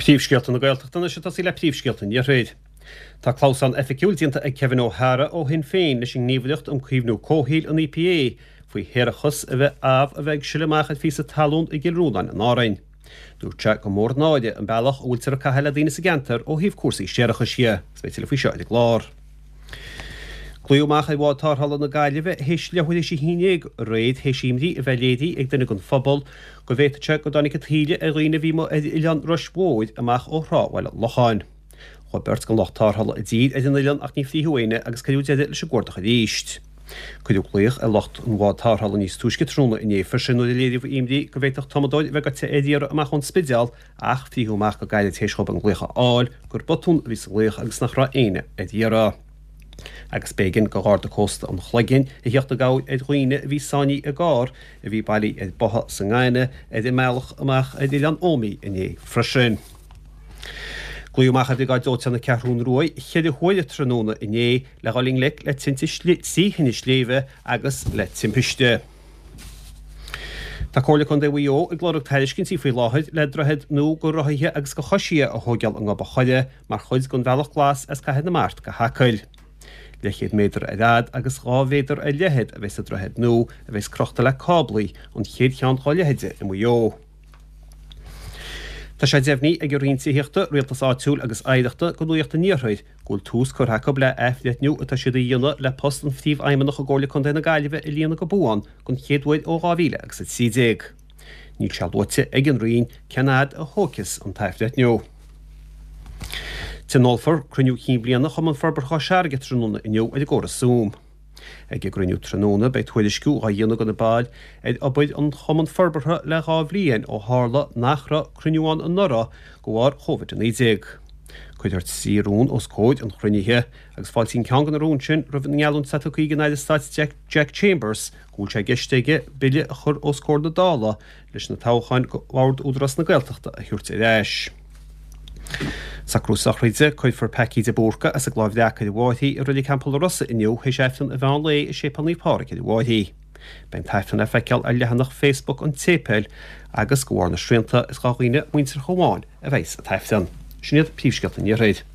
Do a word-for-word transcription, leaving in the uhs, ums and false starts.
Príomhscéalta na Gaeltachta anois ag tosaí le príomhscéalta an Iarthair. Tá clamhsán oifigiúil déanta ag Kevin O'Hara ó Shinn Féin leis an nGníomhaireacht um Caomhnú Comhshaoil, an EPA, faoi shéarachas a bheith amh a bheith ag sileadh amach ar phíosa talún i gCill Rónáin in Árainn. Dúirt sé gur mór an náire an bealach a bhfuiltear ag caitheamh le daoine sa gceantar ó thaobh cúrsaí séarachais dhe. Agus beidh tuilleadh faoi seo ar an gclár. Glaodh amach ar bhád tarrthála na Gaillimhe théis leathuair théis a haon déag aréir théis imní a bheith léirithe ag duine den phobal go bhféadfadh sé go dtáinig an taoille ar dhaoine a bhí amuigh ar oileán Rois Mhóir amach ó thrá Bhaile Locháin. Chuaigh beirt den lucht tarrthála i dtír ar an oileán ach ní frítheadh éinne agus cuireadh deireadh leis an gcuardach arís. Cuireadh glaoch ar lucht an bhád tarrthála níos túisce tráthnóna inné freisin nuair a léiríodh imní go bhféadfadh tumadóir a bheith gaibhte ar iarraidh amach ón Spidéal ach frítheadh amach go gairid théis dhóibh an glaoch a fháil gur botún a bhí sa ghlaoch agus nach raibh éinne ar iarraidh. Agus b'éigean do Gharda Cósta an Chloiginn a theacht i gcabhair ar dhaoine a bhí sáinnithe i gcarr a bhí bailithe ar botha sa ngaineamh ar an mbealach amach ar Oileán Ómaigh inné freisin. Glaodh amach ar Bhriogáid Dóiteáin na Ceathrún Rua ceithre huaire tráthnóna inné le dhul i ngleic le tinte trí thine sléibhe agus le timpiste. Tá Comhairle Contae Mhaigh Eo ag lorg tairiscintí faoi láthair le droichead nua do rothaithe agus do choisithe a thóigeáil i nGob a' Choire mar chuid den Bhealach Glas as Cathair na Mart go hAcaill. Leathchéad méadar ar fhad agus dhá mhéadar ar leithead a bheidh sa droichead nua a bheidh crochta le cáblaí, an chéad cheann dá leithéide i Maigh Eo. Tá sé deimhnithe ag an Roinn Tithíochta, Rialtais Áitiúil agus Oidhreachta do Nuacht an Iarthair go bhfuil tús curtha acu le athbhreithniú atá siad a dhéanamh le post an Phríomhfheidhmeannach i gComhairle Contae na Gaillimhe a líonadh go buan don chéad uair ó dhá mhíle agus a trí déag. Níl sé luaite ag an Roinn cén fhad a thógfas an t-athbhreithniú. Tionólfar cruinniú cinn bliana Chumann Forbartha Chois Fharraige tráthnóna inniu ar an gcóras Zoom. Ag an gcruinniú tráthnóna beidh tuairisciú á dhéanamh do na baill ar obair an Chumann Forbartha le dhá bhliain ó tharla nach raibh cruinniú ann anuraidh de bharr Covid a naoi déag. Cuirfear trí rún os comhair an chruinnithe agus fáiltíonn ceann de na rúin sin roimh an ngeallúint atá tugtha ag an Aire Stáit Jack Chambers go bhfuil sé i gceist aige bille a chur os comhair na Dála leis na toghcháin do Bhord Údarás na Gaeltachta a thabhairt ar ais. Socrú sochraide, Cuirfear Packie de Búrca as an gCloich Bhreac ar an bhFairche i Reilig Theampall na Rosa inniu théis Aifreann an mheán lae i Séipéal Naomh Pádraig ar an bhFairche. Beidh an tAifreann le feiceáil ar leathanach Facebook an tséipéil agus de bharr na srianta is do dhaoine muinteartha amháin a bheidh an tAifreann. Sin iad príomhscéalta an Iarthair.